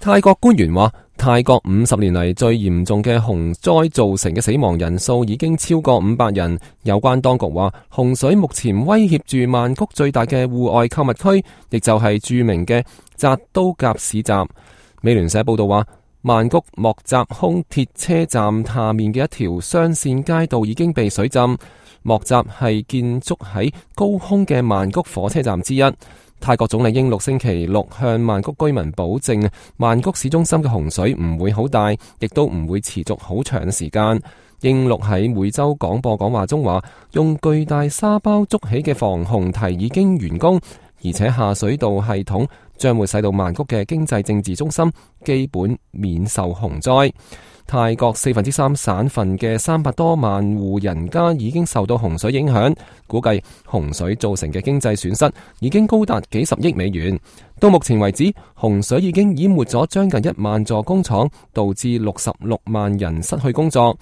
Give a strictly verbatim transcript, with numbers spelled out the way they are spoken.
泰國官員話，泰國五十年嚟最嚴重嘅洪災造成嘅死亡人數已經超過五百人。有關當局話，洪水目前威脅住曼谷最大嘅戶外購物區，亦就係著名嘅扎都甲市集。美聯社報道話，曼谷莫扎空鐵車站下面嘅一條雙線街道已經被水浸。莫扎係建築喺高空嘅曼谷火車站之一。泰國總理英祿星期六向曼谷居民保證，曼谷市中心嘅洪水唔會好大，亦都唔會持續好長嘅時間。英祿喺每周廣播講話中話，用巨大沙包築起嘅防洪堤已經完工，而且下水道系統將會使到曼谷嘅經濟政治中心基本免受洪災。泰國四分之三省份嘅三百多萬戶人家已經受到洪水影響，估計洪水造成嘅經濟損失已經高達幾十億美元。到目前為止，洪水已經淹沒咗將近一萬座工廠，導致六十六萬人失去工作。